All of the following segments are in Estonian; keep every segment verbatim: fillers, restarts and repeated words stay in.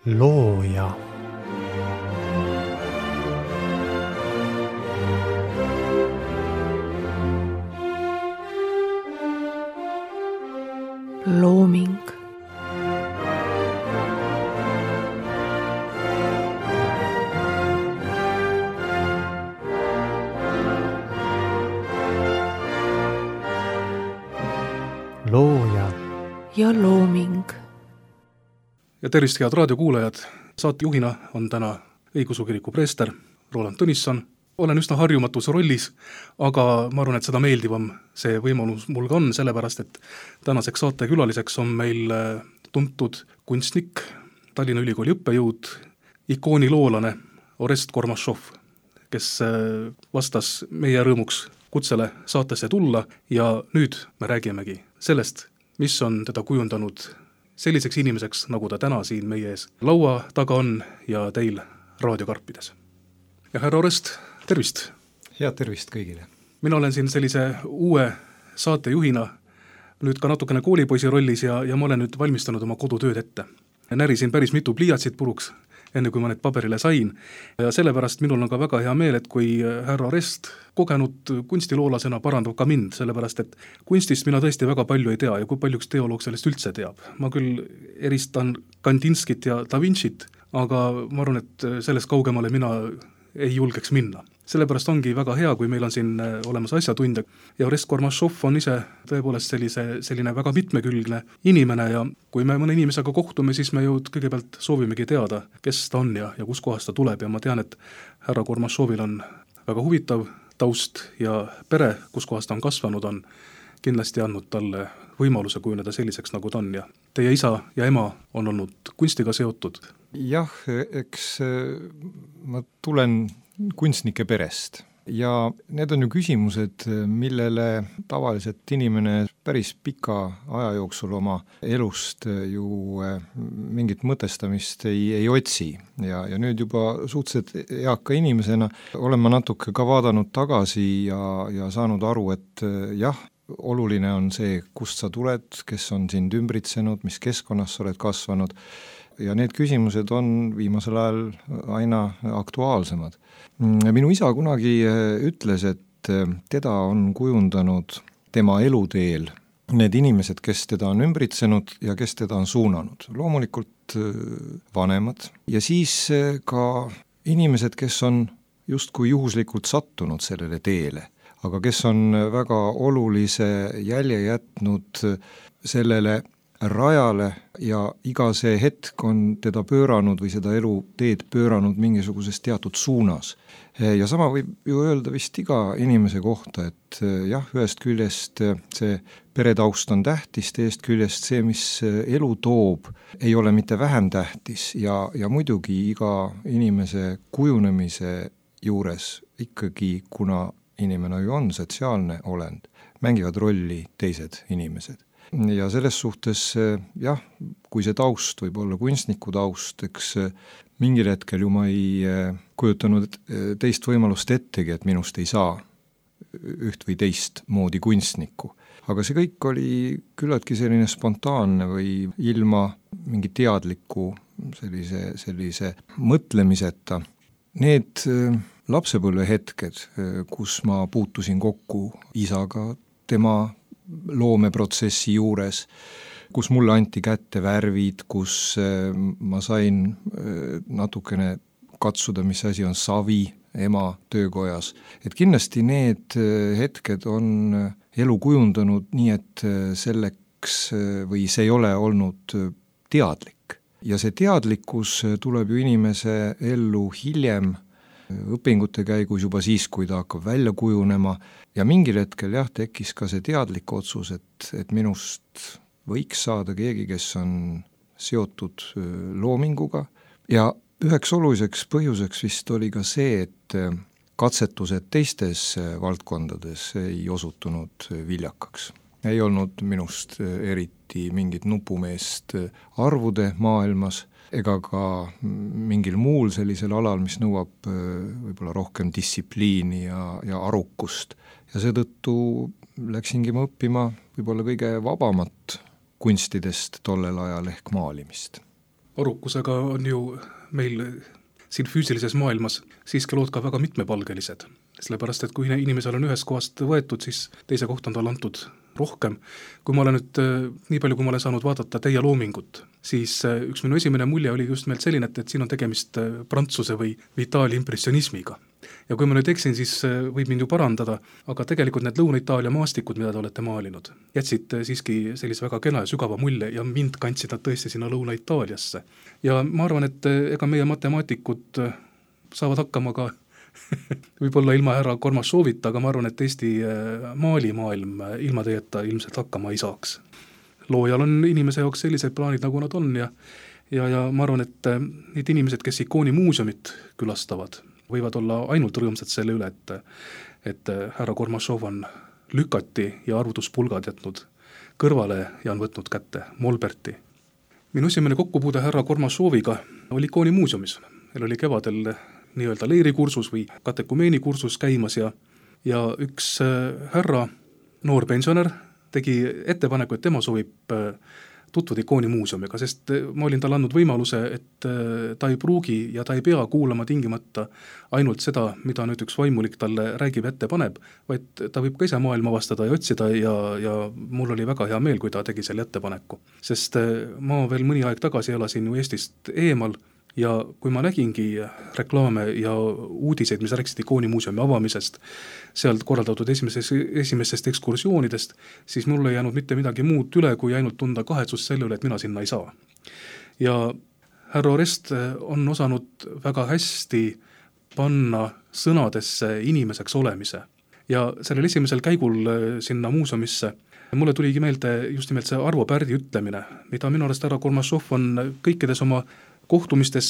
looja. Looming. Looja ja looming. Ja tervist, head raadiokuulajad! Saatejuhina on täna õigeusu kiriku preester Roland Tõnisson. Olen üsna harjumatus rollis, aga ma arvan, et seda meeldivam see võimalus mul ka on, sellepärast, et tänaseks saatekülaliseks on meil tuntud kunstnik, Tallinna Ülikooli õppejõud, ikooniloolane Orest Kormašov, kes vastas meie rõõmuks kutsele saatesse tulla ja nüüd me räägimegi sellest, mis on teda kujundanud selliseks inimeseks, nagu ta täna siin meie ees laua taga on ja teil raadiokarpides. Ja härra Orest, tervist! Head tervist kõigile! Mina olen siin sellise uue saatejuhina nüüd ka natukene koolipoisi rollis ja, ja ma olen nüüd valmistanud oma kodutööd ette. Närisin päris mitu pliiatsit puruks, enne kui ma need paberile sain. Ja sellepärast minul on ka väga hea meel, et kui härra Orest kogenud kunstiloolasena parandab ka mind, sellepärast et kunstist mina tõesti väga palju ei tea ja kui palju üks teoloog sellest üldse teab. Ma küll eristan Kandinskit ja Da Vincit, aga ma arvan, et sellest kaugemale mina ei julgeks minna. Sellepärast ongi väga hea, kui meil on siin olemas asjatundja ja Orest Kormašov on ise tõepoolest sellise, selline väga mitmekülgne inimene ja kui me mõne inimesega kohtume, siis me ju kõigepealt soovimegi teada, kes ta on ja, ja kus kohast ta tuleb ja ma tean, et härra Kormašovil on väga huvitav taust ja pere, kus kohast ta on kasvanud, on kindlasti andnud talle võimaluse kujuneda selliseks, nagu ta on ja teie isa ja ema on olnud kunstiga seotud. Jah, eks ma tulen kunstnike perest ja need on ju küsimused, millele tavaliselt inimene päris pika aja jooksul oma elust ju mingit mõtestamist ei, ei otsi ja, ja nüüd juba suhteliselt eaka inimesena olen ma natuke ka vaadanud tagasi ja, ja saanud aru, et jah, oluline on see, kust sa tuled, kes on sind ümbritsenud, mis keskkonnas sa oled kasvanud ja need küsimused on viimasel ajal aina aktuaalsemad. Minu isa kunagi ütles, et teda on kujundanud tema eluteel need inimesed, kes teda on ümbritsenud ja kes teda on suunanud. Loomulikult vanemad ja siis ka inimesed, kes on justkui juhuslikult sattunud sellele teele, aga kes on väga olulise jälje jätnud sellele rajale ja iga see hetk on teda pööranud või seda elu teed pööranud mingisuguses teatud suunas. Ja sama võib ju öelda vist iga inimese kohta, et jah, ühest küljest see peretaust on tähtis, teist küljest see, mis elu toob, ei ole mitte vähem tähtis ja, ja muidugi iga inimese kujunemise juures ikkagi, kuna inimene ju on sotsiaalne olend, mängivad rolli teised inimesed. Ja selles suhtes, jah, kui see taust võib olla kunstniku taust, eks mingil hetkel ju ma ei kujutanud teist võimalust ettegi, et minust ei saa üht või teist moodi kunstnikku. Aga see kõik oli küllaltki selline spontaanne või ilma mingi teadliku sellise, sellise mõtlemiseta. Need lapsepõlve hetked, kus ma puutusin kokku isaga, tema loomeprotsessi juures, kus mulle anti kätte värvid, kus ma sain natukene katsuda, mis asi on savi ema töökojas. Et kindlasti need hetked on elu kujundanud nii, et selleks või see ei ole olnud teadlik. Ja see teadlikkus tuleb ju inimese ellu hiljem õpingute käigus juba siis, kui ta hakkab välja kujunema ja mingil hetkel jah, tekkis ka see teadlik otsus, et, et minust võiks saada keegi, kes on seotud loominguga ja üheks oluliseks põhjuseks vist oli ka see, et katsetused teistes valdkondades ei osutunud viljakaks. Ei olnud minust eriti mingit nupumeest arvude maailmas ega ka mingil muul sellisel alal, mis nõuab võib-olla rohkem distsipliini ja, ja arukust. Ja seetõttu läksingi ma õppima võib-olla kõige vabamat kunstidest tollel ajal ehk maalimist. arukusega on ju meil siin füüsilises maailmas siiski lood ka väga mitmepalgelised, sellepärast et kui inimesel on ühest kohast võetud, siis teise kohta on tal antud rohkem. Kui ma olen nüüd nii palju, kui ma olen saanud vaadata teie loomingut, siis üks minu esimene mulje oli just meelt selline, et, et siin on tegemist prantsuse või Itaalia impressionismiga. Ja kui ma nüüd eksin, siis võib mind ju parandada, aga tegelikult need Lõuna-Itaalia maastikud, mida te olete maalinud, jätsid siiski sellise väga kena ja sügava mulje ja mind kandsid nad tõesti sinna Lõuna-Itaaliasse. Ja ma arvan, et ega meie matemaatikud saavad hakkama ka võib-olla ilma härra Kormašovita, aga ma arvan, et Eesti maalimaailm ilma teieta ilmselt hakkama ei saaks. Loojal on inimese jaoks sellised plaanid, nagu nad on ja, ja, ja ma arvan, et need inimesed, kes ikooni muuseumit külastavad, võivad olla ainult rõõmsad selle üle, et, et härra Kormašov on lükati ja arvutuspulgad jätnud kõrvale ja on võtnud kätte Molberti. Minu esimene kokkupuude härra Kormašoviga oli ikooni muuseumis. Meil oli kevadel nii-öelda leirikursus või katekumeeni kursus käimas ja, ja üks härra, noor pensionär, tegi ettepaneku, et tema soovib tutvuda ikooni muuseumiga, sest ma olin talle andnud võimaluse, et ta ei pruugi ja ta ei pea kuulama tingimata ainult seda, mida nüüd üks vaimulik talle räägib ette paneb, vaid ta võib ka ise maailma avastada ja otsida ja, ja mul oli väga hea meel, kui ta tegi selle ettepaneku. Sest ma veel mõni aeg tagasi elasin ju Eestist eemal ja kui ma nägingi reklaame ja uudiseid, mis rääkisid ikooni muuseumi avamisest, sealt korraldatud esimesest, esimesest ekskursioonidest, siis mul ei jäänud mitte midagi muud üle, kui ainult tunda kahetsust selle üle, et mina sinna ei saa. Ja härra Orest on osanud väga hästi panna sõnadesse inimeseks olemise. Ja sellel esimesel käigul sinna muuseumisse mulle tuligi meelde just nimelt see Arvo Pärdi ütlemine, mida minu arust härra Kormašov on kõikides oma kohtumistes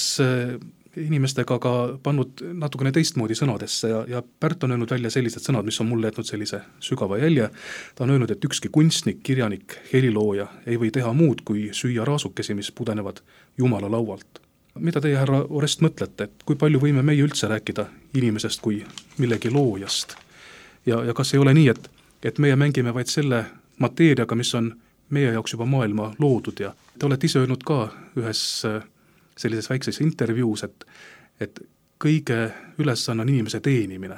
inimestega ka pannud natukene teistmoodi sõnadesse ja, ja Pärt on öelnud välja sellised sõnad, mis on mulle jätnud sellise sügava jälje. Ta on öelnud, et ükski kunstnik, kirjanik, helilooja ei või teha muud kui süüa raasukesi, mis pudenevad Jumala laualt. Mida teie, härra Orest, mõtlete, et kui palju võime meie üldse rääkida inimesest kui millegi loojast? Ja, ja kas ei ole nii, et, et meie mängime vaid selle mateeriaga, mis on meie jaoks juba maailma loodud ja te olete ise öelnud ka ühes sellises väikses intervjuus, et, et kõige ülesanne on inimese teenimine,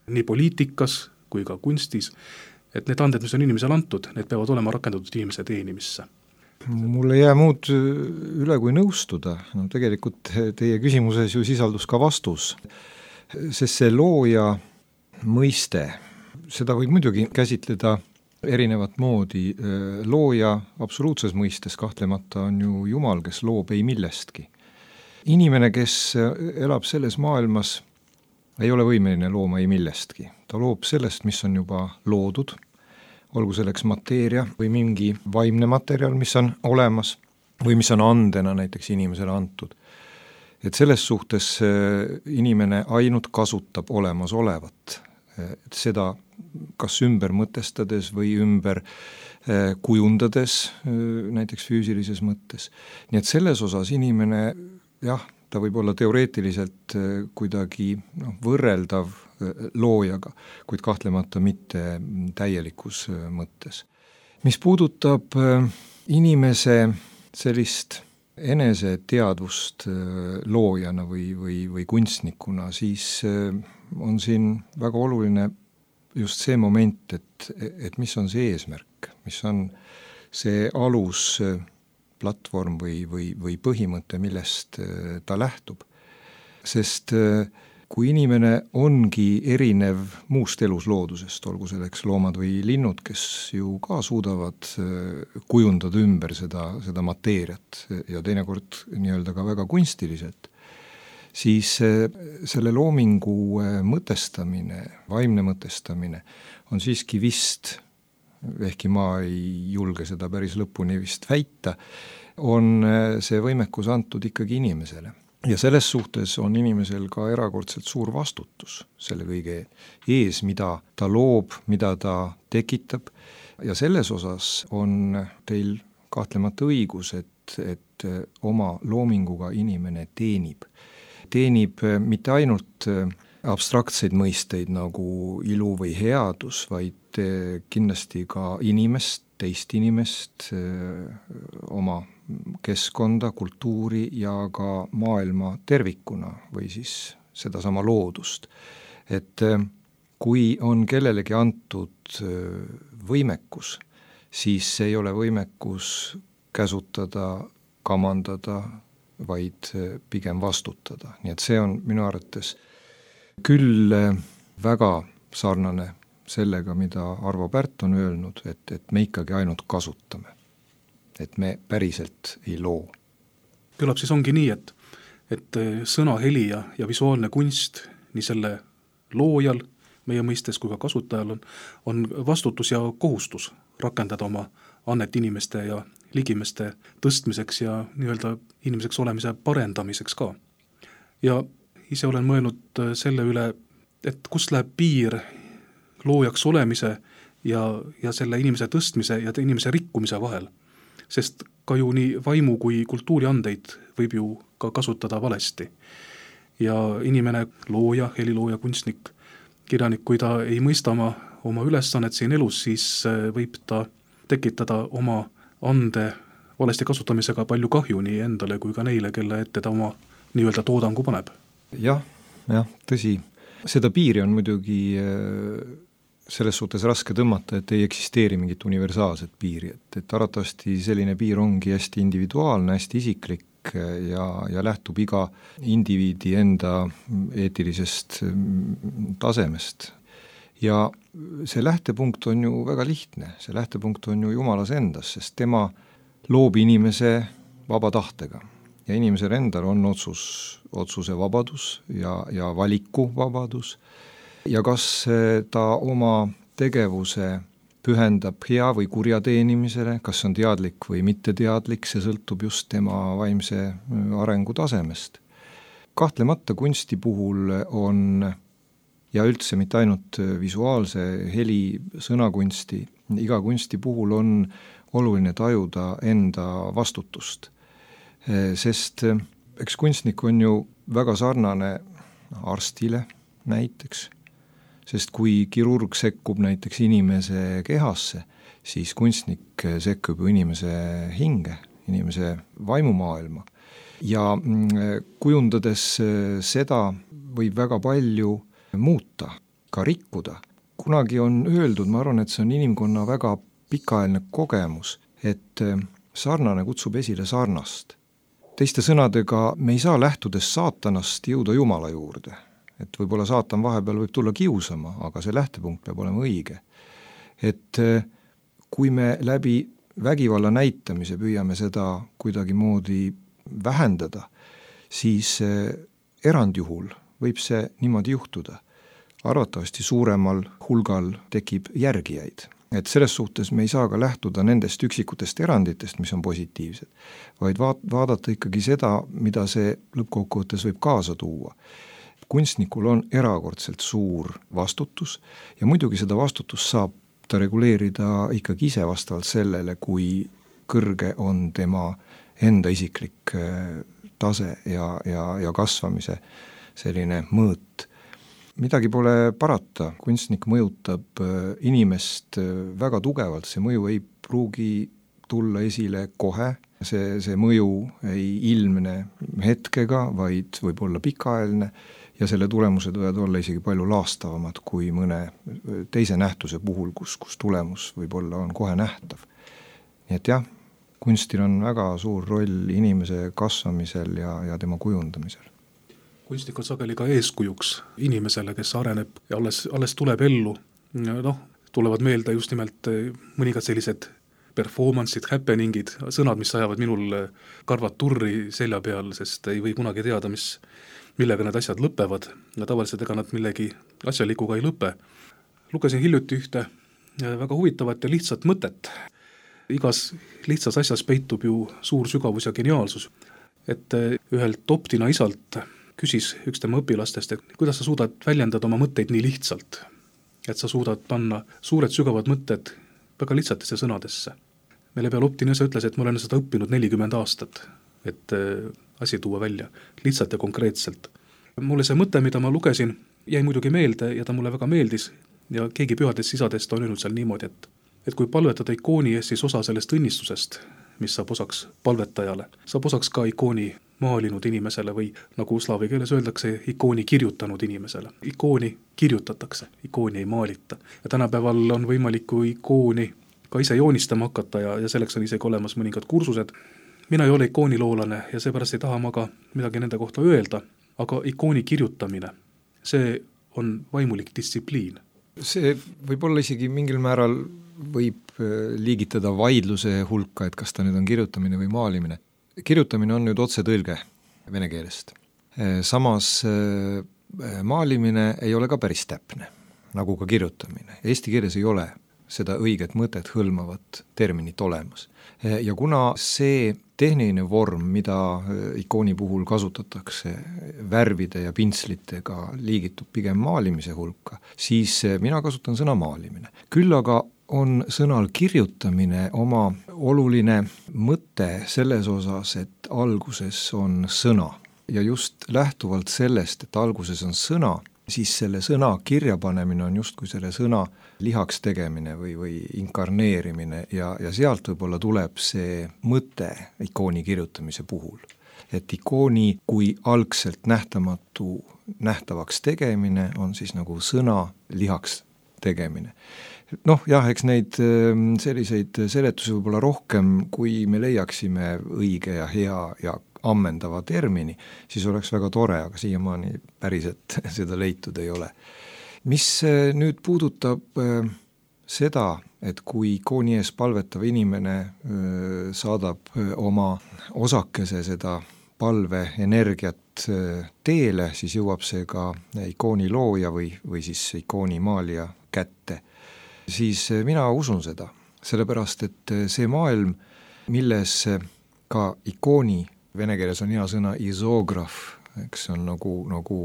nii poliitikas kui ka kunstis, et need anded, mis on inimesele antud, need peavad olema rakendatud inimese teenimisse. Mul ei jää muud üle kui nõustuda, no tegelikult teie küsimuses ju sisaldus ka vastus, sest see looja mõiste, seda võib muidugi käsitleda erinevat moodi. Looja absoluutses mõistes kahtlemata on ju Jumal, kes loob ei millestki. Inimene, kes elab selles maailmas, ei ole võimeline looma ei millestki. Ta loob sellest, mis on juba loodud, olgu selleks mateeria või mingi vaimne materjal, mis on olemas või mis on andena näiteks inimesele antud. Et selles suhtes inimene ainult kasutab olemasolevat, et seda kas ümber mõtestades või ümber kujundades näiteks füüsilises mõttes. Nii et selles osas inimene, jah, ta võib olla teoreetiliselt kuidagi noh, võrreldav loojaga, kuid kahtlemata mitte täielikus mõttes. Mis puudutab inimese sellist eneseteadvust loojana või, või, või kunstnikuna, siis on siin väga oluline just see moment, et, et mis on see eesmärk, mis on see alus platvorm või, või, või põhimõte, millest ta lähtub. Sest kui inimene ongi erinev muust elusloodusest, olgu selleks loomad või linnud, kes ju ka suudavad kujundada ümber seda, seda mateeriat ja teinekord nii-öelda ka väga kunstiliselt, siis selle loomingu mõtestamine, vaimne mõtestamine on siiski vist, ehkki ma ei julge seda päris lõpuni vist väita, on see võimekus antud ikkagi inimesele. Ja selles suhtes on inimesel ka erakordselt suur vastutus selle kõige ees, mida ta loob, mida ta tekitab. Ja selles osas on teil kahtlemata õigus, et, et oma loominguga inimene teenib. Teenib mitte ainult abstraktseid mõisteid nagu ilu või headus, vaid kindlasti ka inimest, teist inimest, oma keskkonda, kultuuri ja ka maailma tervikuna või siis sedasama loodust. Et kui on kellelegi antud võimekus, siis see ei ole võimekus käsutada, kamandada, vaid pigem vastutada. Nii et see on minu arvates küll väga sarnane sellega, mida Arvo Pärt on öelnud, et, et me ikkagi ainult kasutame. Et me päriselt ei loo. Kõlab siis ongi nii, et, et sõna, heli ja, ja visuaalne kunst nii selle loojal meie mõistes kui ka kasutajal on, on vastutus ja kohustus rakendada oma annet inimeste ja ligimeste tõstmiseks ja nii-öelda inimeseks olemise parendamiseks ka. Ja ise olen mõelnud selle üle, et kust läheb piir loojaks olemise ja, ja selle inimese tõstmise ja inimese rikkumise vahel. Sest ka ju nii vaimu kui kultuuriandeid võib ju ka kasutada valesti. Ja inimene, looja, helilooja, kunstnik, kirjanik, kui ta ei mõista oma, oma ülesannet siin elus, siis võib ta tekitada oma ande valesti kasutamisega palju kahju nii endale kui ka neile, kelle ette ta oma nii-öelda toodangu paneb. Jah, jah, tõsi. Seda piiri on muidugi selles suhtes raske tõmmata, et ei eksisteeri mingit universaalset piiri, et, et arvatavasti selline piir ongi hästi individuaalne, hästi isiklik ja, ja lähtub iga indiviidi enda eetilisest tasemest. Ja see lähtepunkt on ju väga lihtne, see lähtepunkt on ju Jumalas endas, sest tema loob inimese vaba tahtega ja inimesel endal on otsus, otsuse vabadus ja, ja valiku vabadus ja kas ta oma tegevuse pühendab hea või kurja teenimisele, kas on teadlik või mitteteadlik, see sõltub just tema vaimse arengu tasemest. Kahtlemata kunsti puhul on ja üldse mitte ainult visuaalse heli sõnakunsti, iga kunsti puhul on oluline tajuda enda vastutust. Sest eks kunstnik on ju väga sarnane arstile näiteks, sest kui kirurg sekkub näiteks inimese kehasse, siis kunstnik sekkub ju inimese hinge, inimese vaimumaailma. Ja kujundades seda võib väga palju muuta, ka rikkuda. Kunagi on öeldud, ma arvan, et see on inimkonna väga pikaajaline kogemus, et sarnane kutsub esile sarnast. Teiste sõnadega, me ei saa lähtudes saatanast jõuda Jumala juurde. Et võib-olla saatan vahepeal võib tulla kiusama, aga see lähtepunkt peab olema õige. Et kui me läbi vägivalla näitamise püüame seda kuidagi moodi vähendada, siis erandjuhul võib see niimoodi juhtuda. Arvatavasti suuremal hulgal tekib järgijaid. Et selles suhtes me ei saa ka lähtuda nendest üksikutest eranditest, mis on positiivsed, vaid vaadata ikkagi seda, mida see lõppkokkuvõttes võib kaasa tuua. Kunstnikul on erakordselt suur vastutus ja muidugi seda vastutust saab ta reguleerida ikkagi ise vastavalt sellele, kui kõrge on tema enda isiklik tase ja, ja, ja kasvamise selline mõõt. Midagi pole parata, kunstnik mõjutab inimest väga tugevalt, see mõju ei pruugi tulla esile kohe, see, see mõju ei ilmne hetkega, vaid võib olla pikaajaline ja selle tulemused võivad olla isegi palju laastavamad kui mõne teise nähtuse puhul, kus, kus tulemus võib-olla on kohe nähtav. Nii et jah, kunstil on väga suur roll inimese kasvamisel ja, ja tema kujundamisel. Kunstnik on sageli ka eeskujuks inimesele, kes areneb ja alles, alles tuleb ellu. Noh, tulevad meelde just nimelt mõningad sellised performance'id, happeningid, sõnad, mis ajavad minul karvad turri selja peal, sest ei või kunagi teada, mis, millega need asjad lõpevad. Ja tavaliselt ega nad millegi asjalikuga ei lõpe. Lugesin hiljuti ühte väga huvitavat ja lihtsat mõtet. Igas lihtsas asjas peitub ju suur sügavus ja geniaalsus. Et ühelt optina isalt küsis üks tema õpilastest, et kuidas sa suudad väljendada oma mõtteid nii lihtsalt, et sa suudad panna suured sügavad mõtted väga lihtsatesse sõnadesse. Meile peal optina isa ütles, et ma olen seda õppinud nelikümmend aastat, et asi tuua välja lihtsalt ja konkreetselt. Mulle see mõte, mida ma lugesin, jäi muidugi meelde ja ta mulle väga meeldis ja keegi pühadest isadest on öelnud seal niimoodi, et, et kui palvetada ikooni ees, siis osa sellest õnnistusest mis saab osaks palvetajale, saab osaks ka ikooni maalinud inimesele või nagu slaavi keeles öeldakse, ikooni kirjutanud inimesele. Ikooni kirjutatakse, ikooni ei maalita. Ja tänapäeval on võimalik kui ikooni ka ise joonistama hakata ja, ja selleks on isegi olemas mõningad kursused. Mina ei ole ikooniloolane ja seepärast ei taha ma ka midagi nende kohta öelda, aga ikooni kirjutamine, see on vaimulik distsipliin. See võib olla isegi mingil määral võib liigitada vaidluse hulka, et kas ta nüüd on kirjutamine või maalimine. Kirjutamine on nüüd otsetõlge vene keelest. Samas maalimine ei ole ka päris täpne, nagu ka kirjutamine. Eesti keeles ei ole seda õiget mõtet hõlmavat terminit olemas. Ja kuna see tehniline vorm, mida ikooni puhul kasutatakse värvide ja pintslitega, liigitub pigem maalimise hulka, siis mina kasutan sõna maalimine. Küll aga on sõnal kirjutamine oma oluline mõte selles osas, et alguses on sõna. Ja just lähtuvalt sellest, et alguses on sõna, siis selle sõna kirjapanemine on just kui selle sõna lihaks tegemine või, või inkarneerimine ja, ja sealt võib-olla tuleb see mõte ikooni kirjutamise puhul. Et ikooni kui algselt nähtamatu nähtavaks tegemine on siis nagu sõna lihaks tegemine. Noh, jah, eks neid selliseid seletusi võib-olla rohkem, kui me leiaksime õige ja hea ja ammendava termini, siis oleks väga tore, aga siiamaani päriselt seda leitud ei ole. Mis nüüd puudutab seda, et kui ikooni ees palvetav inimene saadab oma osakese seda palve energiat teele, siis jõuab see ka ikooni looja või, või siis ikooni maalija kätte. Siis mina usun seda, sellepärast et see maailm, milles ka ikooni, vene keeles on hea sõna isograaf, eks on nagu, nagu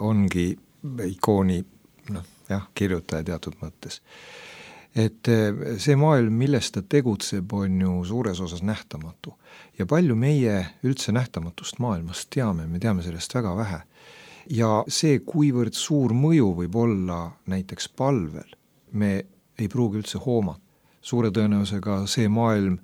ongi ikooni noh, jah, kirjutaja teatud mõttes. Et see maailm, milles ta tegutseb, on ju suures osas nähtamatu. Ja palju meie üldse nähtamatust maailmast teame, me teame sellest väga vähe. Ja see, kuivõrd suur mõju võib olla näiteks palvel, me ei pruugi üldse hoomata. Suure tõenäosusega see maailm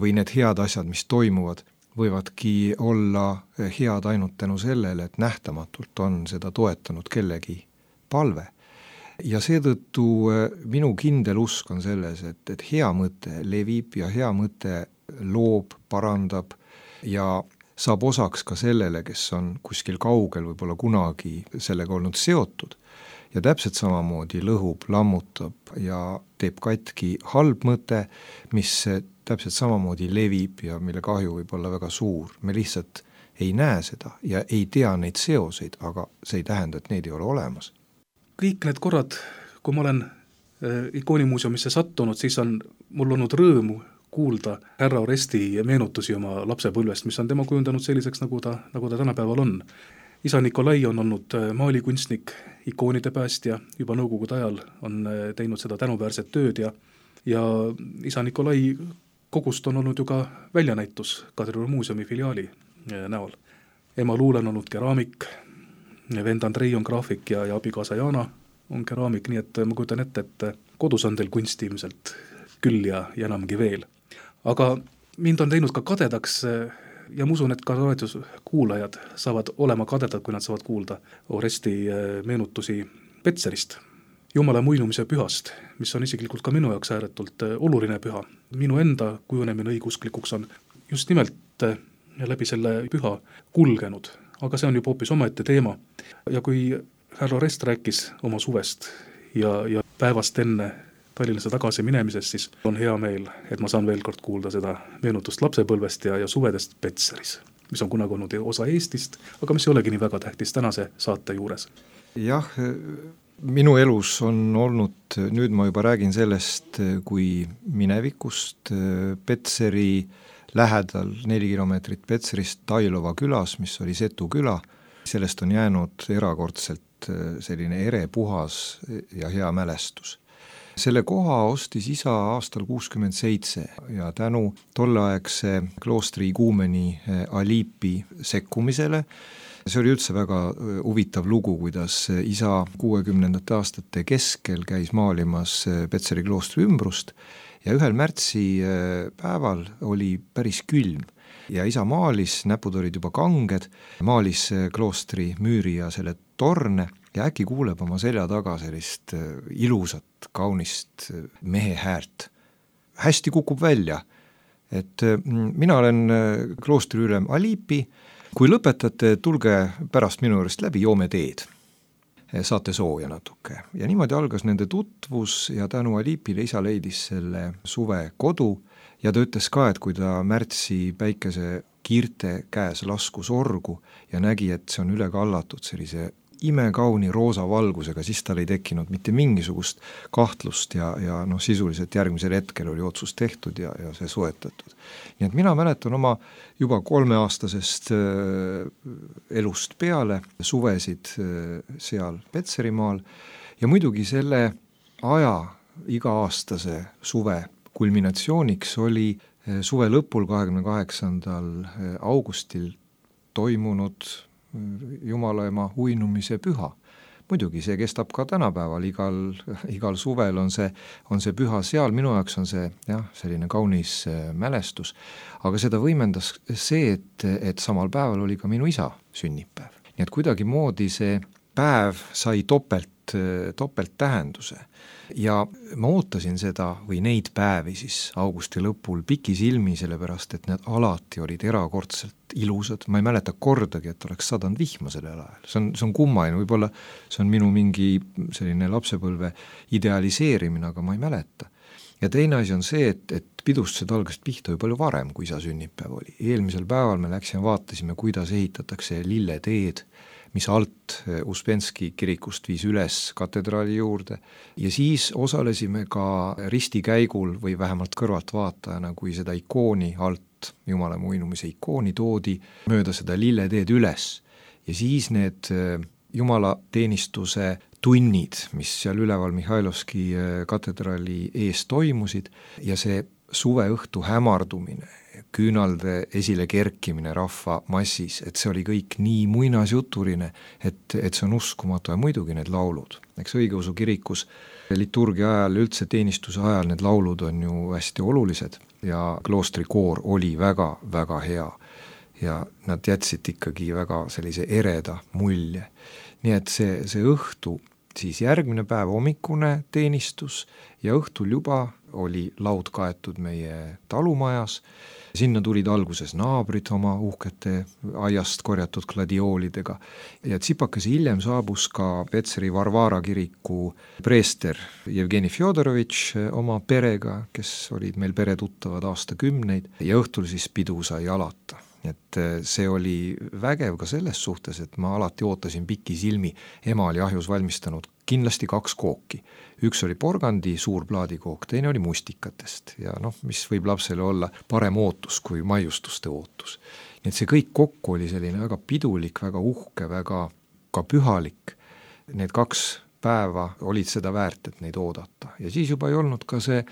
või need head asjad, mis toimuvad, võivadki olla head ainult tänu sellele, et nähtamatult on seda toetanud kellegi palve. Ja seetõttu minu kindel usk on selles, et, et hea mõte levib ja hea mõte loob, parandab ja saab osaks ka sellele, kes on kuskil kaugel võib-olla kunagi sellega olnud seotud. Ja täpselt samamoodi lõhub, lammutab ja teeb katki halb mõte, mis täpselt samamoodi levib ja mille kahju võib olla väga suur. Me lihtsalt ei näe seda ja ei tea neid seoseid, aga see ei tähenda, et neid ei ole olemas. Kõik need korrad, kui ma olen ikoonimuuseumisse sattunud, siis on mul olnud rõõmu kuulda härra Oresti meenutusi oma lapsepõlvest, mis on tema kujundanud selliseks, nagu ta, nagu ta tänapäeval on. Isa Nikolai on olnud maalikunstnik, ikoonide päästja, juba nõukogude ajal on teinud seda tänuväärset tööd ja, ja isa Nikolai kogust on olnud ju ka väljanäitus Kadrioru muuseumi filiaali näol. Ema Luule on olnud keraamik, vend Andrei on graafik ja, ja abikaasa Jana on keraamik, nii et ma kujutan ette, et kodus on teil kunsti ilmselt küll ja, ja enamgi veel. Aga mind on teinud ka kadedaks ja ma usun, et ka raadioskuulajad saavad olema kadedad, kui nad saavad kuulda Oresti meenutusi Petserist, Jumala muinumise pühast, mis on isiklikult ka minu jaoks ääretult oluline püha. Minu enda kujunemine õigusklikuks on just nimelt läbi selle püha kulgenud, aga see on juba hoopis omaette teema. Ja kui härra Orest rääkis oma suvest ja, ja päevast enne Tallinnasse tagasi minemisest, siis on hea meel, et ma saan veel kord kuulda seda meenutust lapsepõlvest ja, ja suvedest Petseris, mis on kunagi olnud osa Eestist, aga mis ei olegi nii väga tähtis tänase saate juures. Jah, minu elus on olnud, nüüd ma juba räägin sellest, kui minevikust Petseri lähedal neli kilomeetrit Petserist Tailova külas, mis oli Setu küla, sellest on jäänud erakordselt selline ere, puhas ja hea mälestus. Selle koha ostis isa aastal kuuskümmend seitse ja tänu tolleaegse kloostri iguumeni Aliipi sekkumisele. See oli üldse väga huvitav lugu, kuidas isa kuuekümnendate aastate keskel käis maalimas Petseri kloostri ümbrust ja ühel märtsi päeval oli päris külm ja isa maalis, näpud olid juba kanged, maalis kloostri müüri ja selle torne ja äkki kuuleb oma selja taga sellist ilusat, kaunist mehe häält. Hästi kukub välja, et mina olen kloostri ülem Alipi, kui lõpetate, tulge pärast minu juurest läbi, joome teed. Saate sooja natuke. Ja niimoodi algas nende tutvus ja tänu Alipile isa leidis selle suve kodu ja ta ütles ka, et kui ta märtsi päikese kiirte käes laskus orgu ja nägi, et see on üle kallatud sellise imekauni roosa valgusega, siis tal ei tekkinud mitte mingisugust kahtlust ja, ja noh, sisuliselt järgmisel hetkel oli otsus tehtud ja, ja see soetatud. Nii et mina mäletan oma juba kolmeaastasest äh, elust peale suvesid äh, seal Petserimaal ja muidugi selle aja iga-aastase suve kulminatsiooniks oli äh, suve lõpul kahekümne kaheksandal augustil toimunud Jumalaema uinumise püha. Muidugi see kestab ka tänapäeval, igal, igal suvel on see, on see püha seal, minu jaoks on see jah, selline kaunis mälestus, aga seda võimendas see, et, et samal päeval oli ka minu isa sünnipäev. Nii et kuidagi moodi see päev sai topelt, topelt tähenduse ja ma ootasin seda või neid päevi siis augusti lõpul pikisilmi, sellepärast et need alati olid erakordselt ilusad, ma ei mäleta kordagi, et oleks sadanud vihma sellel ajal, see on, see on kummaline, võib-olla see on minu mingi selline lapsepõlve idealiseerimine, aga ma ei mäleta. Ja teine asi on see, et, et pidustused algasid pihta ju palju varem, kui isa sünnipäev oli. Eelmisel päeval me läksime, vaatasime, kuidas ehitatakse lilleteed, mis alt Uspenski kirikust viis üles katedraali juurde ja siis osalesime ka ristikäigul või vähemalt kõrvaltvaatajana, kui seda ikooni alt, Jumalaema uinumise ikooni toodi mööda seda lilleteed üles ja siis need jumalateenistuse tunnid, mis seal üleval Mihhailovski katedraali ees toimusid ja see suveõhtu hämardumine, küünalde esile kerkimine rahva massis, et see oli kõik nii muinasjutuline, et, et see on uskumatu ja muidugi need laulud. Eks õigeusu kirikus liturgia ajal, üldse teenistuse ajal need laulud on ju hästi olulised ja kloostrikoor oli väga, väga hea ja nad jätsid ikkagi väga sellise ereda mulje. Nii et see, see õhtu, siis järgmine päev hommikune teenistus ja õhtul juba oli laud kaetud meie talumajas. Sinna tulid alguses naabrid oma uhkete aiast korjatud gladioolidega ja tsipakese hiljem saabus ka Petseri Varvara kiriku preester Jevgeni Fjodorovitš oma perega, kes olid meil peretuttavad aastakümneid ja õhtul siis pidu sai alata. Et see oli vägev ka selles suhtes, et ma alati ootasin pikisilmi, ema oli ahjus valmistanud kindlasti kaks kooki. Üks oli porgandi suur plaadikook, teine oli mustikatest ja noh, mis võib lapsele olla parem ootus kui maiustuste ootus. Nii et see kõik kokku oli selline väga pidulik, väga uhke, väga ka pühalik. Need kaks päeva olid seda väärt, et neid oodata ja siis juba ei olnud ka see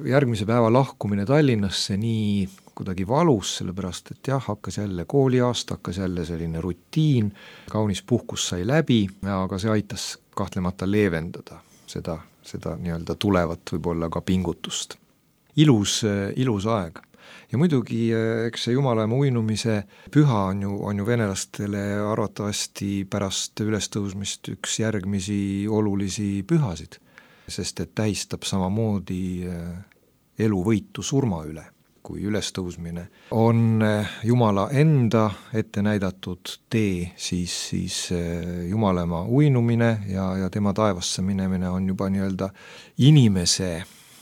järgmise päeva lahkumine Tallinnasse nii kuidagi valus, sellepärast et jah, hakkas jälle kooliaasta, hakkas jälle selline rutiin, kaunis puhkus sai läbi, aga see aitas kahtlemata leevendada seda, seda nii-öelda tulevat võib-olla ka pingutust. Ilus, ilus aeg. Ja muidugi, eks see Jumalaema uinumise püha on ju, on ju venelastele arvatavasti pärast ülestõusmist üks järgmisi olulisi pühasid, sest et tähistab samamoodi eluvõitu surma üle, kui ülestõusmine on Jumala enda ette näidatud tee, siis, siis Jumalaema uinumine ja, ja tema taevasse minemine on juba nii-öelda inimese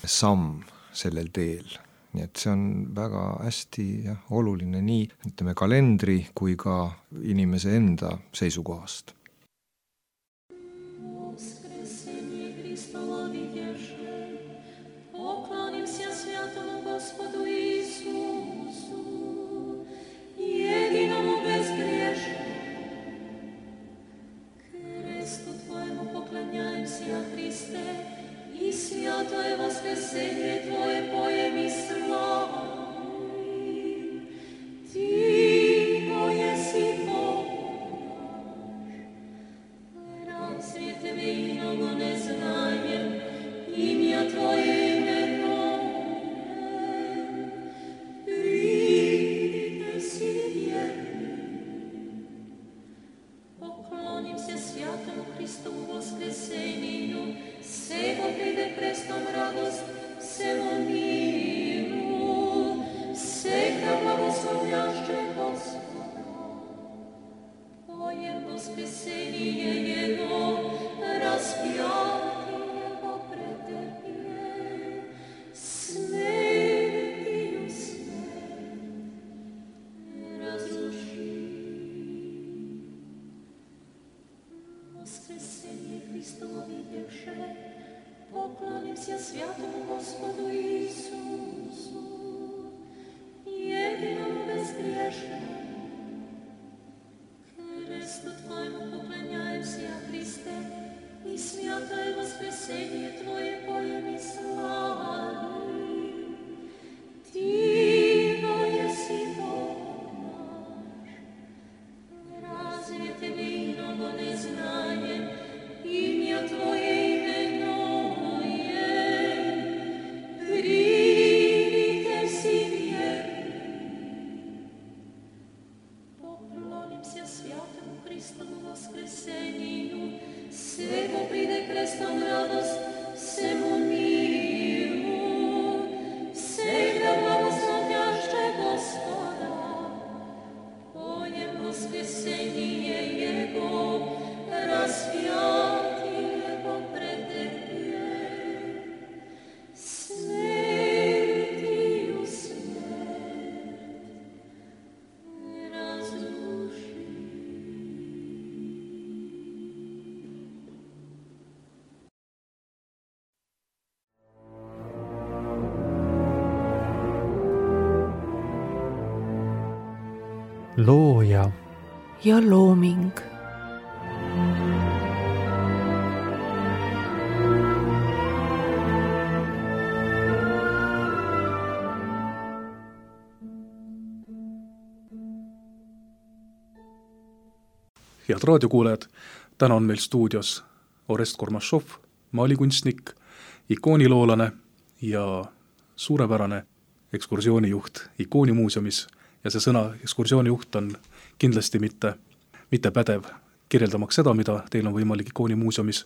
samm sellel teel. Nii et see on väga hästi ja, oluline nii, ütleme, kalendri kui ka inimese enda seisukohast. Looja ja looming. Head raadiokuulajad, täna on meil stuudios Orest Kormašov, maalikunstnik, ikooniloolane ja suurepärane ekskursioonijuht ikoonimuuseumis. Ja see sõna ekskursioonijuht on kindlasti mitte, mitte pädev kirjeldamaks seda, mida teil on võimalik ikoonimuuseumis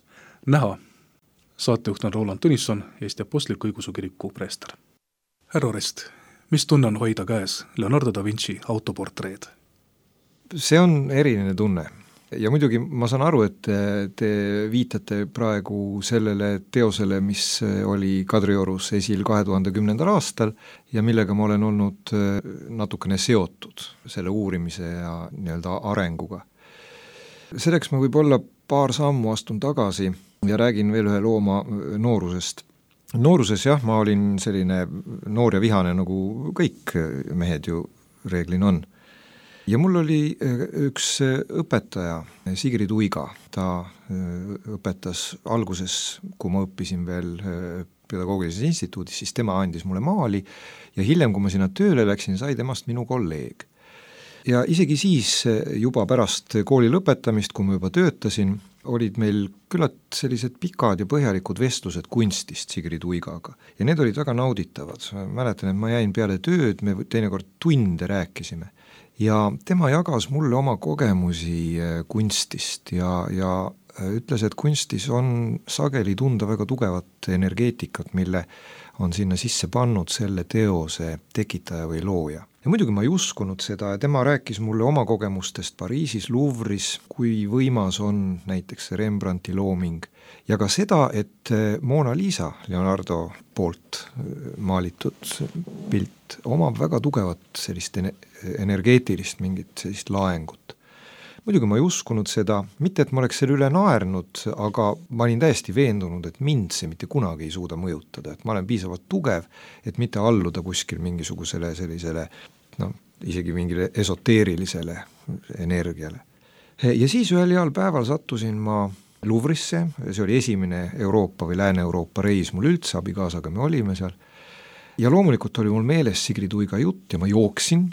näha. Saatejuht on Roland Tõnisson, Eesti Apostliku Õigeusu Kiriku preester. Härra Orest, mis tunne on hoida käes Leonardo da Vinci autoportreed? See on eriline tunne. Ja muidugi ma saan aru, et te viitate praegu sellele teosele, mis oli Kadriorus esil kahe tuhande kümnendal aastal ja millega ma olen olnud natukene seotud selle uurimise ja nii-öelda arenguga. Selleks ma võib-olla paar sammu astun tagasi ja räägin veel ühe looma noorusest. Nooruses jah, ma olin selline noor ja vihane, nagu kõik mehed ju reeglin on. Ja mul oli üks õpetaja, Sigrid Uiga, ta õpetas alguses, kui ma õppisin veel pedagoogilises instituudis, siis tema andis mulle maali ja hiljem, kui ma sinna tööle läksin, sai temast minu kolleeg. Ja isegi siis juba pärast kooli lõpetamist, kui ma juba töötasin, olid meil küllalt sellised pikad ja põhjalikud vestlused kunstist Sigrid Uigaga ja need olid väga nauditavad. Mäletan, et ma jäin peale tööd, me teinekord tunde rääkisime. Ja tema jagas mulle oma kogemusi kunstist ja, ja ütles, et kunstis on sageli tunda väga tugevat energeetikat, mille on sinna sisse pannud selle teose tekitaja või looja. Ja muidugi ma ei uskunud seda ja tema rääkis mulle oma kogemustest Pariisis, Louvre'is, kui võimas on näiteks Rembrandti looming ja ka seda, et Mona Lisa, Leonardo poolt maalitud pilt, omab väga tugevat sellist energeetilist mingit sellist laengut. Muidugi ma ei uskunud seda, mitte et ma oleks selle üle naernud, aga ma olin täiesti veendunud, et mind see mitte kunagi ei suuda mõjutada, et ma olen piisavalt tugev, et mitte alluda kuskil mingisugusele sellisele, no, isegi mingile esoteerilisele energiale. Ja siis ühel heal päeval sattusin ma Louvre'isse, see oli esimene Euroopa või Lääne-Euroopa reis mul üldse, abikaasaga me olime seal, ja loomulikult oli mul meeles Sigrid Uiga jutt ja ma jooksin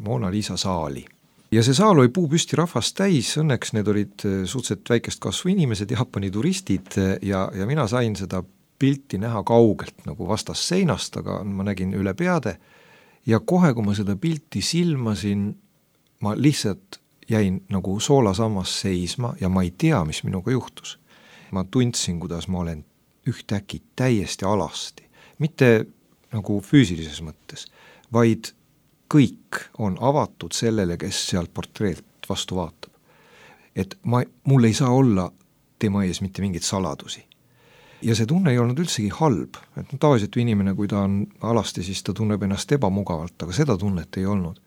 Mona Lisa saali. Ja see saal oli puupüsti rahvast täis, õnneks need olid suhteliselt väikest kasvu inimesed, Jaapani turistid ja, ja mina sain seda pilti näha kaugelt nagu vastas seinast, aga ma nägin üle peade ja kohe, kui ma seda pilti silmasin, ma lihtsalt jäin nagu soolasammas seisma ja ma ei tea, mis minuga juhtus. Ma tundsin, kuidas ma olen ühtäkki täiesti alasti, mitte nagu füüsilises mõttes, vaid kõik on avatud sellele, kes sealt portreelt vastu vaatab. et ma, mul ei saa olla tema ees mitte mingeid saladusi. Ja see tunne ei olnud üldsegi halb, et no, tavaliselt inimene, kui ta on alasti, siis ta tunneb ennast ebamugavalt, aga seda tunnet ei olnud.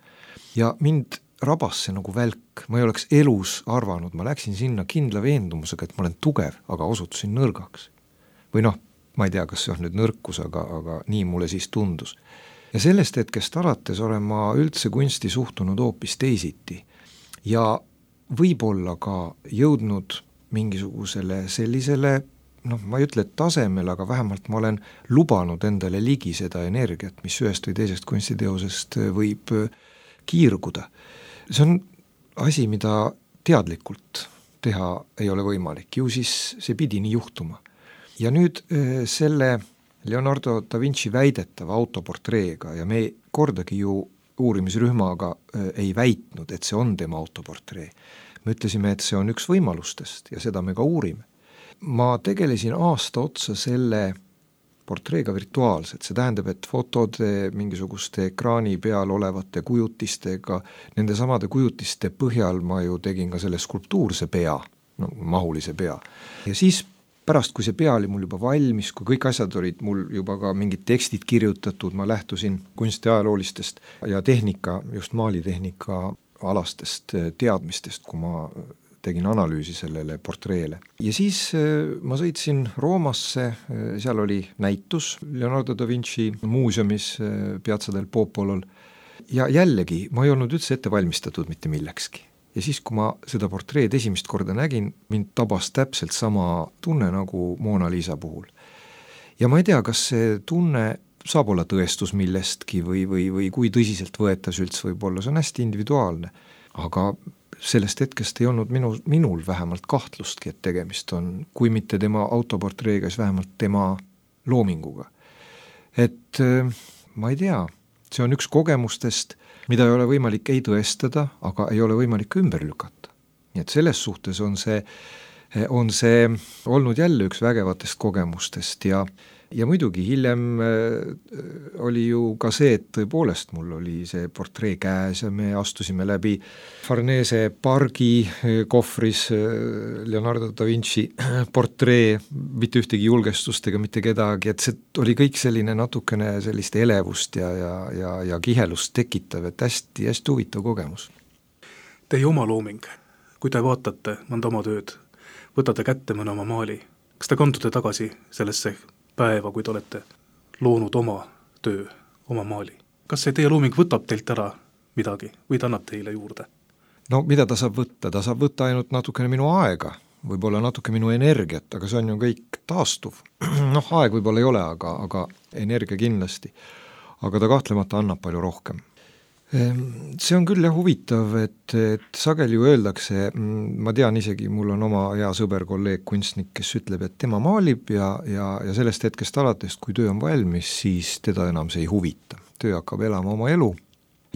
Ja mind rabas see nagu välk, ma ei oleks elus arvanud, ma läksin sinna kindla veendumusega, et ma olen tugev, aga osutusin nõrgaks. Või noh, ma ei tea, kas see on nüüd nõrkus, aga, aga nii mulle siis tundus. Ja sellest hetkest alates olen ma üldse kunsti suhtunud hoopis teisiti ja võib-olla ka jõudnud mingisugusele sellisele, noh, ma ei ütle tasemel, aga vähemalt ma olen lubanud endale ligi seda energiat, mis ühest või teisest kunstiteosest võib kiirguda. See on asi, mida teadlikult teha ei ole võimalik, ju siis see pidi nii juhtuma. Ja nüüd selle Leonardo da Vinci väidetava autoportreega ja me kordagi ju uurimisrühmaga ei väitnud, et see on tema autoportree. Me ütlesime, et see on üks võimalustest ja seda me ka uurime. Ma tegelesin aasta otsa selle portreega virtuaalselt, see tähendab, et fotode mingisuguste ekraani peal olevate kujutistega, nende samade kujutiste põhjal ma ju tegin ka selle skulptuurse pea, no, mahulise pea. Ja siis pärast, kui see pea oli mul juba valmis, kui kõik asjad olid mul juba ka mingid tekstid kirjutatud, ma lähtusin kunstiajaloolistest ja tehnika, just maalitehnika alastest teadmistest, kui ma tegin analüüsi sellele portreele. Ja siis ma sõitsin Roomasse, seal oli näitus Leonardo da Vinci muuseumis Piazza del Popolol ja jällegi ma ei olnud üldse ette valmistatud mitte millekski. Ja siis, kui ma seda portreed esimest korda nägin, mind tabas täpselt sama tunne nagu Mona Lisa puhul. Ja ma ei tea, kas see tunne saab olla tõestus millestki või, või, või kui tõsiselt võetas üldse võib olla, see on hästi individuaalne, aga sellest hetkest ei olnud minu, minul vähemalt kahtlustki, et tegemist on, kui mitte tema autoportreega, siis vähemalt tema loominguga. Et ma ei tea, see on üks kogemustest, mida ei ole võimalik ei tõestada, aga ei ole võimalik ümber lükata. Nii et selles suhtes on see, on see olnud jälle üks vägevatest kogemustest ja Ja muidugi hiljem oli ju ka see, et tõepoolest mul oli see portree käes ja me astusime läbi Farnese pargi kohvris Leonardo da Vinci portree, mitte ühtegi julgestust ega mitte kedagi, et see oli kõik selline natukene sellist elevust ja, ja, ja, ja kihelust tekitav, et hästi, hästi huvitav kogemus. Teie oma looming, kui te vaatate mõnda oma tööd, võtate kätte mõne oma maali, kas te kandute tagasi sellesse päeva, kui te olete loonud oma töö, oma maali. Kas see teie looming võtab teilt ära midagi või ta annab teile juurde? No mida ta saab võtta? Ta saab võtta ainult natukene minu aega, võib-olla natuke minu energiat, aga see on ju kõik taastuv. Noh, aeg võib-olla ei ole, aga, aga energia kindlasti. Aga ta kahtlemata annab palju rohkem. See on küll jah huvitav, et, et sageli ju öeldakse, ma tean isegi, mul on oma hea sõber, kolleeg, kunstnik, kes ütleb, et tema maalib ja, ja, ja sellest hetkest alates, kui töö on valmis, siis teda enam see ei huvita. Töö hakkab elama oma elu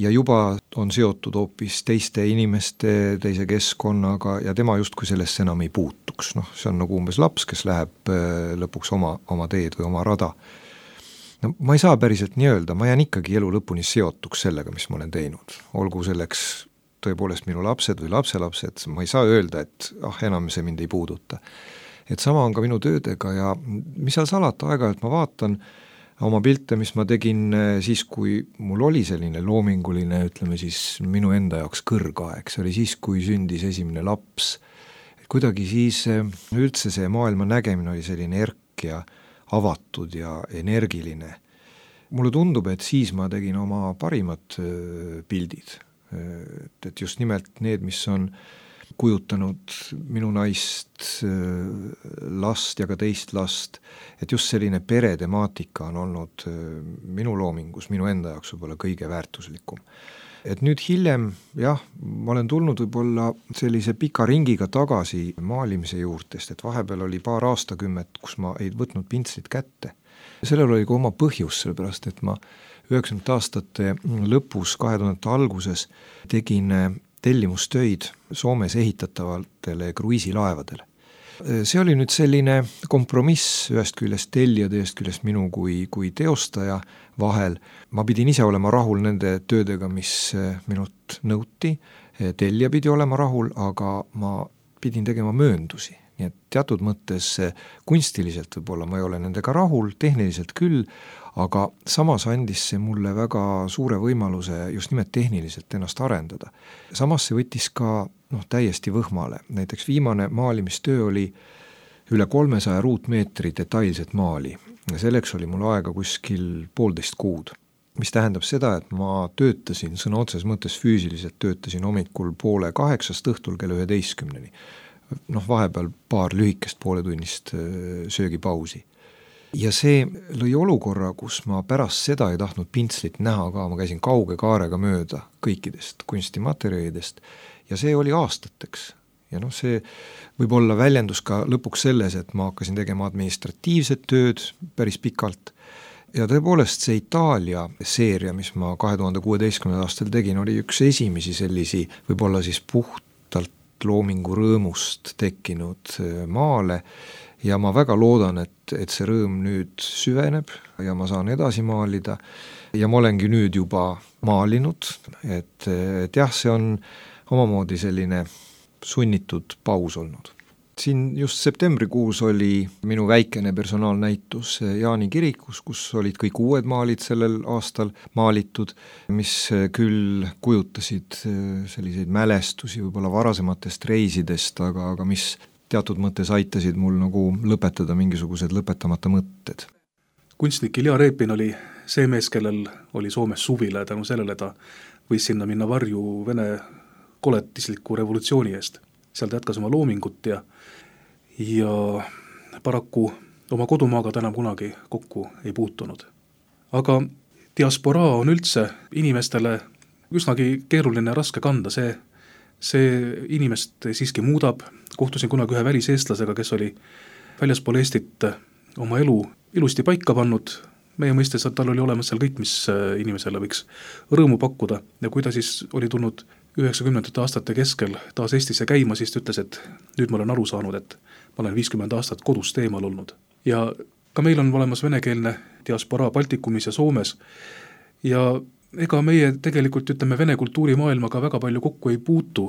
ja juba on seotud hoopis teiste inimeste, teise keskkonnaga ja tema justkui sellesse enam ei puutuks. Noh, see on nagu umbes laps, kes läheb lõpuks oma, oma teed või oma rada. No, ma ei saa päriselt nii öelda, ma jään ikkagi elu lõpuni seotuks sellega, mis ma olen teinud. Olgu selleks tõepoolest minu lapsed või lapselapsed, ma ei saa öelda, et ah, enam see mind ei puuduta. Et sama on ka minu töödega ja mis seal salata aega, et ma vaatan oma pilte, mis ma tegin siis, kui mul oli selline loominguline, ütleme siis minu enda jaoks kõrgaeg, see oli siis, kui sündis esimene laps. Et kuidagi siis üldse see maailma nägemine oli selline erk ja avatud ja energiline. Mulle tundub, et siis ma tegin oma parimad pildid, et just nimelt need, mis on kujutanud minu naist, last ja ka teist last, et just selline peretemaatika on olnud minu loomingus, minu enda jaoks võib-olla kõige väärtuslikum. Et nüüd hiljem, jah, ma olen tulnud võib-olla sellise pika ringiga tagasi maalimise juurtest, et vahepeal oli paar aastakümmet, kus ma ei võtnud pintslit kätte. Sellel oli ka oma põhjus, sellepärast, et ma üheksakümnendate aastate lõpus, kahe tuhandete alguses tegin tellimustöid Soomes ehitatavatele kruiisilaevadele. See oli nüüd selline kompromiss ühest küljest tellijad, ühest küljest minu kui, kui teostaja vahel. Ma pidin ise olema rahul nende töödega, mis minult nõuti. Tellija pidi olema rahul, aga ma pidin tegema mööndusi, nii et teatud mõttes kunstiliselt võib-olla ma ei ole nendega rahul, tehniliselt küll, aga samas andis see mulle väga suure võimaluse just nimelt tehniliselt ennast arendada. Samas see võttis ka noh, täiesti võhmale, näiteks viimane maalimistöö oli üle kolmesaja ruutmeetri detailset maali ja selleks oli mul aega kuskil poolteist kuud. Mis tähendab seda, et ma töötasin, sõna otses mõttes füüsiliselt töötasin hommikul poole kaheksast õhtul kella üheteistkümneni. Noh, vahepeal paar lühikest pooletunnist söögipausi. Ja see lõi olukorra, kus ma pärast seda ei tahtnud pintslit näha ka, ma käisin kauge kaarega mööda kõikidest kunstimaterjalidest ja see oli aastateks. Ja noh, see võib-olla väljendus ka lõpuks selles, et ma hakkasin tegema administratiivset tööd päris pikalt. Ja tõepoolest see Itaalia seeria, mis ma kahe tuhande kuueteistkümnendal aastal tegin, oli üks esimesi sellisi võib-olla siis puhtalt loomingu rõõmust tekkinud maale ja ma väga loodan, et, et see rõõm nüüd süveneb ja ma saan edasi maalida ja ma olengi nüüd juba maalinud, et, et jah, see on omamoodi selline sunnitud paus olnud. Siin just septembrikuus oli minu väikene personaalnäitus Jaani kirikus, kus olid kõik uued maalid sellel aastal maalitud, mis küll kujutasid selliseid mälestusi võib-olla varasematest reisidest, aga, aga mis teatud mõttes aitasid mul nagu lõpetada mingisugused lõpetamata mõtted. Kunstnik Ilja Repin oli see mees, kellel oli Soomes suvile tänu sellele, ta võis sinna minna varju Vene koletisliku revolutsiooni eest. Seal ta jätkas oma loomingut ja, ja paraku oma kodumaaga ta enam kunagi kokku ei puutunud. Aga diasporaa on üldse inimestele üsnagi keeruline ja raske kanda, see, see inimest siiski muudab. Kohtusin kunagi ühe väliseestlasega, kes oli väljaspool Eestit oma elu ilusti paika pannud. Meie mõistes, et tal oli olemas seal kõik, mis inimesele võiks rõõmu pakkuda ja kui ta siis oli tulnud üheksakümnendate aastate keskel taas Eestisse käima, siis ta ütles, et nüüd ma olen aru saanud, et ma olen viiskümmend aastat kodust eemal olnud. Ja ka meil on olemas venekeelne diasporaa Baltikumis ja Soomes ja ega meie tegelikult ütleme Vene kultuurimaailmaga väga palju kokku ei puutu.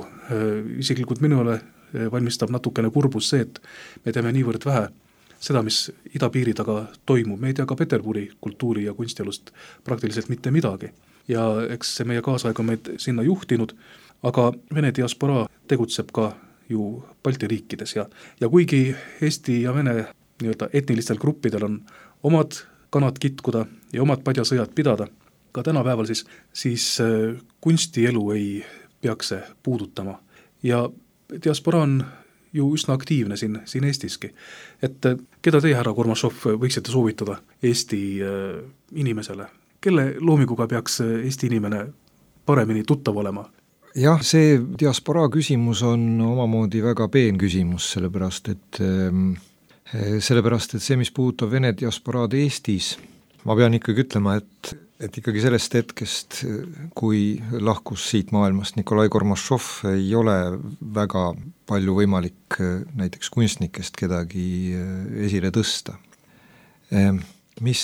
Isiklikult minule valmistab natukene kurbus see, et me teeme niivõrd vähe seda, mis idapiiri taga toimub. Me ei tea ka Peterburi kultuuri ja kunstielust praktiliselt mitte midagi. Ja eks see meie kaasaeg on meid sinna juhtinud, aga Vene diasporaa tegutseb ka ju Balti riikides ja, ja kuigi Eesti ja Vene nii-öelda etnilistel gruppidel on omad kanad kitkuda ja omad padjasõjad pidada, ka tänapäeval siis, siis kunstielu ei peaks see puudutama. Ja diasporaa on ju üsna aktiivne siin, siin Eestiski. Et keda teie, härra Kormašov, võiksite soovitada Eesti inimesele? Kelle loominguga peaks Eesti inimene paremini tuttav olema? Jah, see diasporaa küsimus on omamoodi väga peen küsimus, sellepärast et, sellepärast, et see, mis puudutab Vene diasporaad Eestis, ma pean ikkagi ütlema, et, et ikkagi sellest hetkest, kui lahkus siit maailmast Nikolai Kormašov, ei ole väga palju võimalik näiteks kunstnikest kedagi esile tõsta. Mis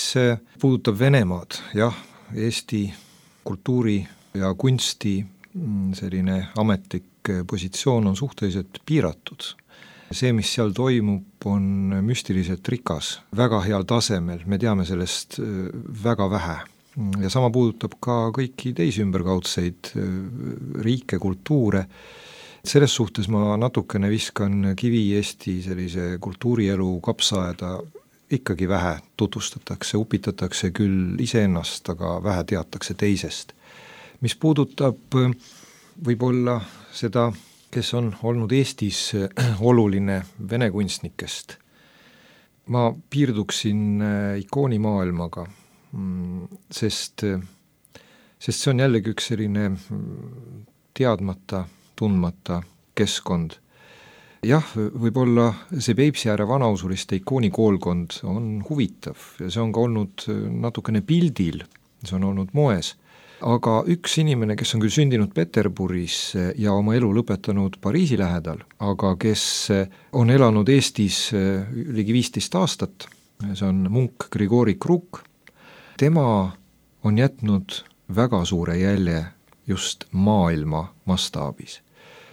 puudutab Venemaad, jah, Eesti kultuuri ja kunsti selline ametlik positsioon on suhteliselt piiratud. See, mis seal toimub, on müstiliselt rikas, väga heal tasemel, me teame sellest väga vähe. Ja sama puudutab ka kõiki teisi ümberkaudseid riike, kultuure. Selles suhtes ma natukene viskan kivi Eesti sellise kultuurielu kapsaaeda, ikkagi vähe tutvustatakse, upitatakse küll iseennast, aga vähe teatakse teisest. Mis puudutab võib-olla seda, kes on olnud Eestis oluline vene kunstnikest, ma piirduksin ikoonimaailmaga, sest, sest see on jällegi üks selline teadmata, tundmata keskkond. Jah, võib-olla see Peipsiääre vanausuriste ikoonikoolkond on huvitav ja see on ka olnud natukene pildil, see on olnud moes, aga üks inimene, kes on küll sündinud Peterburis ja oma elu lõpetanud Pariisi lähedal, aga kes on elanud Eestis ligi viisteist aastat, see on munk Grigori Kruk, tema on jätnud väga suure jälje just maailma mastaabis.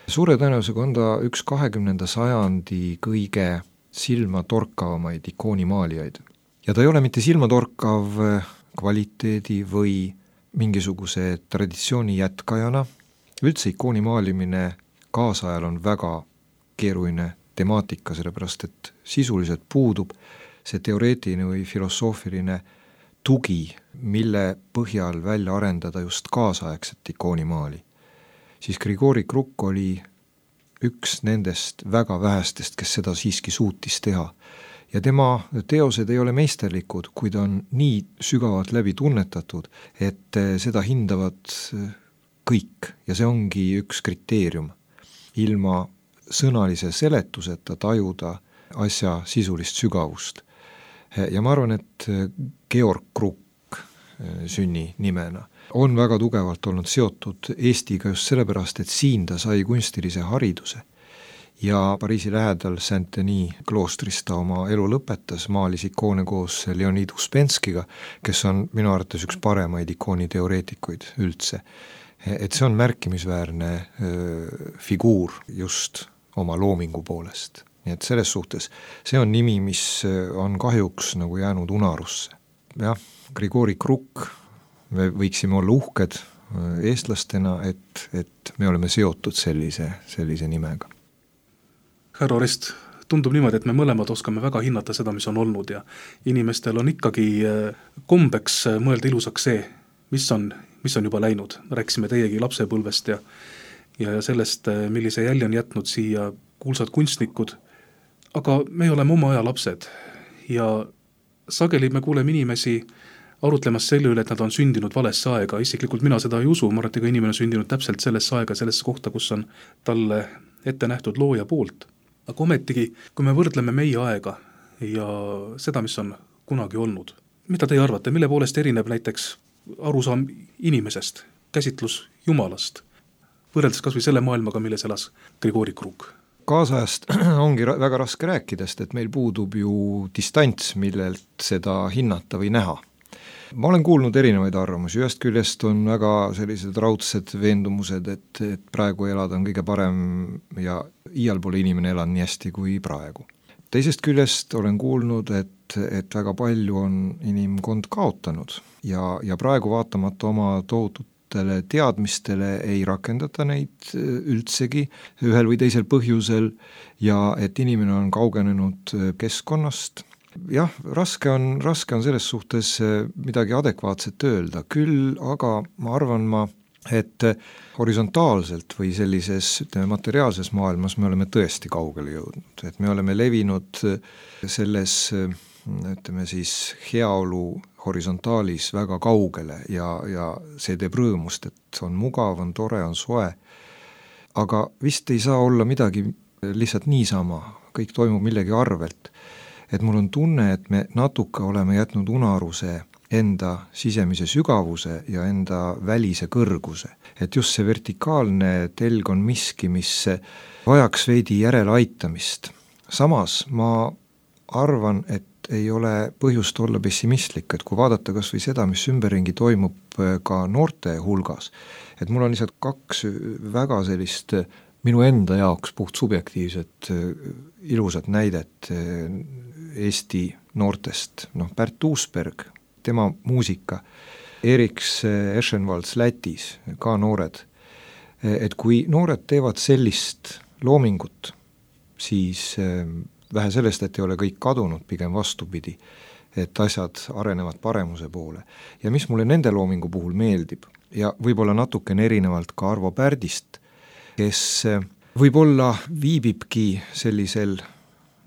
suure tõenäosusega on ta üks kahekümnenda sajandi kõige silmatorkavamaid ikoonimaalijaid. Ja ta ei ole mitte silmatorkav kvaliteedi või mingisuguse traditsiooni jätkajana. Üldse ikooni maalimine kaasajal on väga keeruline temaatika, sellepärast et sisuliselt puudub see teoreetiline või filosoofiline tugi, mille põhjal välja arendada just kaasaegset ikoonimaali. Siis Grigori Kruk oli üks nendest väga vähestest, kes seda siiski suutis teha. Ja tema teosed ei ole meisterlikud, kuid on nii sügavalt läbi tunnetatud, et seda hindavad kõik ja see ongi üks kriteerium. Ilma sõnalise seletuseta tajuda asja sisulist sügavust. Ja ma arvan, et Georg Kruk sünni nimena on väga tugevalt olnud seotud Eestiga just sellepärast, et siin ta sai kunstilise hariduse. Ja Pariisi lähedal Saint-Denis kloostris ta oma elu lõpetas, maalis ikoone koos Leonid Uspenskiga, kes on minu arvates üks paremaid ikooniteoreetikuid üldse. Et see on märkimisväärne öö, figuur just oma loomingu poolest. Nii et selles suhtes see on nimi, mis on kahjuks nagu jäänud unarusse. Jah, Grigori Kruk, me võiksime olla uhked eestlastena, et, et me oleme seotud sellise, sellise nimega. Härra Orest, tundub niimoodi, et me mõlemad oskame väga hinnata seda, mis on olnud ja inimestel on ikkagi kombeks mõelda ilusaks see, mis on, mis on juba läinud. Rääkisime teiegi lapsepõlvest ja, ja sellest, millise jälje on jätnud siia kuulsad kunstnikud, aga me oleme oma aja lapsed ja sageli me kuuleme inimesi arutlemas selle üle, et nad on sündinud valesse aega. Isiklikult mina seda ei usu, ma arvan, et inimene on sündinud täpselt sellesse aega, sellesse kohta, kus on talle ette nähtud looja poolt. Aga ometigi, kui me võrdleme meie aega ja seda, mis on kunagi olnud, mida te arvate, mille poolest erineb näiteks arusaam inimesest, käsitlus Jumalast, võrreldes kas või selle maailmaga, milles elas Grigori Kruk? Kaasajast ongi väga raske rääkidest, et meil puudub ju distants, millelt seda hinnata või näha. Ma olen kuulnud erinevaid arvamusi, ühest küljest on väga sellised raudsed veendumused, et, et praegu elada on kõige parem ja iial pole inimene elanud nii hästi kui praegu. Teisest küljest olen kuulnud, et, et väga palju on inimkond kaotanud ja, ja praegu vaatamata oma tohututele teadmistele ei rakendata neid üldsegi ühel või teisel põhjusel ja et inimene on kaugenenud keskkonnast. Jah, raske on, raske on selles suhtes midagi adekvaatset öelda, küll aga ma arvan ma, et horisontaalselt või sellises ütleme, materiaalses maailmas me oleme tõesti kaugele jõudnud, et me oleme levinud selles ütleme siis heaolu horisontaalis väga kaugele ja, ja see teeb rõõmust, et on mugav, on tore, on soe, aga vist ei saa olla midagi lihtsalt niisama, kõik toimub millegi arvelt. Et mul on tunne, et me natuke oleme jätnud unaruse enda sisemise sügavuse ja enda välise kõrguse. Et just see vertikaalne telg on miski, mis vajaks veidi järeleaitamist. Samas ma arvan, et ei ole põhjust olla pessimistlik, et kui vaadata kas või seda, mis ümberringi toimub ka noorte hulgas, et mul on lihtsalt kaks väga sellist minu enda jaoks puht subjektiivset ilusat näidet Eesti noortest, noh Pärt Uusberg, tema muusika, Eriks Eschenvalds Lätis, ka noored, et kui noored teevad sellist loomingut, siis vähe sellest, et ei ole kõik kadunud, pigem vastupidi, et asjad arenevad paremuse poole. Ja mis mulle nende loomingu puhul meeldib ja võib-olla natukene erinevalt ka Arvo Pärdist, kes võib-olla viibibki sellisel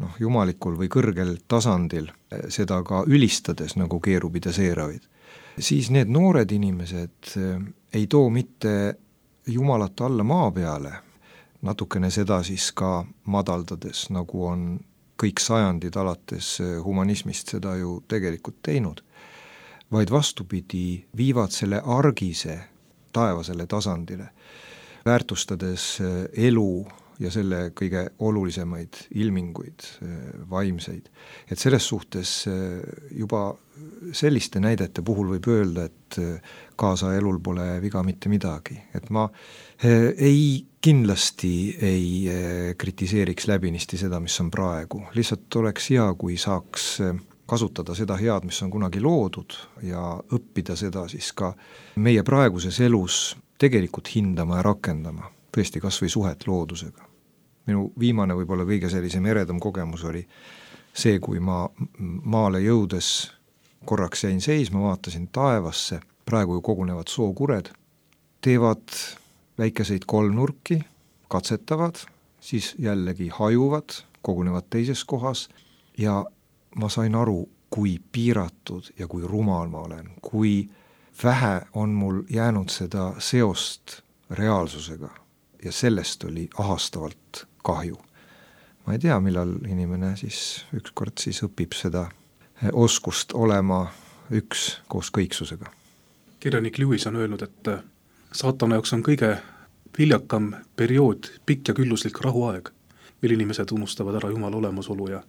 noh, jumalikul või kõrgel tasandil, seda ka ülistades nagu keerubid ja seeravid, siis need noored inimesed ei too mitte Jumalat alla maa peale, natukene seda siis ka madaldades, nagu on kõik sajandid alates humanismist seda ju tegelikult teinud, vaid vastupidi viivad selle argise taevasele tasandile, väärtustades elu ja selle kõige olulisemaid ilminguid, vaimseid. Et selles suhtes juba selliste näidete puhul võib öelda, et kaasa elul pole viga mitte midagi. Et ma ei kindlasti ei kritiseeriks läbinisti seda, mis on praegu. Lihtsalt oleks hea, kui saaks kasutada seda head, mis on kunagi loodud ja õppida seda siis ka meie praeguses elus tegelikult hindama ja rakendama, tõesti kas või suhet loodusega. Minu viimane võib-olla kõige sellisem eredam kogemus oli see, kui ma maale jõudes korraks jäin seisma, vaatasin taevasse, praegu ju kogunevad sookured, teevad väikeseid kolmnurki, katsetavad, siis jällegi hajuvad, kogunevad teises kohas ja ma sain aru, kui piiratud ja kui rumal ma olen, kui vähe on mul jäänud seda seost reaalsusega ja sellest oli ahastavalt kahju. Ma ei tea, millal inimene siis ükskord siis õpib seda oskust olema üks koos kõiksusega. Kirjanik Lewis on öelnud, et saatana jaoks on kõige viljakam periood pikk ja külluslik rahuaeg, mil inimesed unustavad ära Jumala olemasolu ja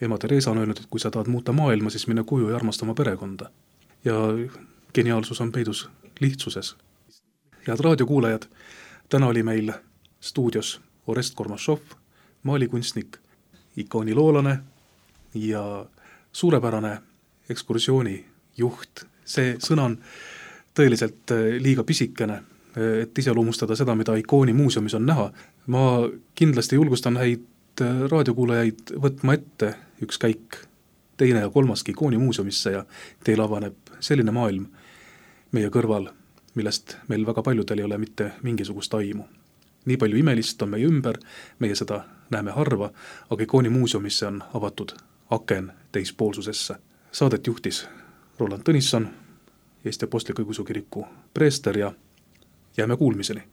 ema Teresa on öelnud, et kui sa tahad muuta maailma, siis mine koju ja armasta oma perekonda. Ja geniaalsus on peidus lihtsuses. Head raadiokuulajad, täna oli meil stuudios Orest Kormašov, maalikunstnik, ikooniloolane ja suurepärane ekskursiooni juht. See sõna on tõeliselt liiga pisikene, et iseloomustada seda, mida ikooni muuseumis on näha. Ma kindlasti julgustan häid raadiokuulajaid võtma ette üks käik teine ja kolmaski ikooni muuseumisse ja teil avaneb selline maailm meie kõrval, millest meil väga paljudel ei ole mitte mingisugust aimu. Nii palju imelist on meie ümber, meie seda näeme harva, aga ikooni muuseumisse on avatud aken teispoolsusesse. Saadet juhtis Roland Tõnisson, Eesti Apostliku Õigeusu Kiriku preester ja jääme kuulmiseni.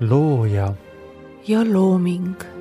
looja ja looming.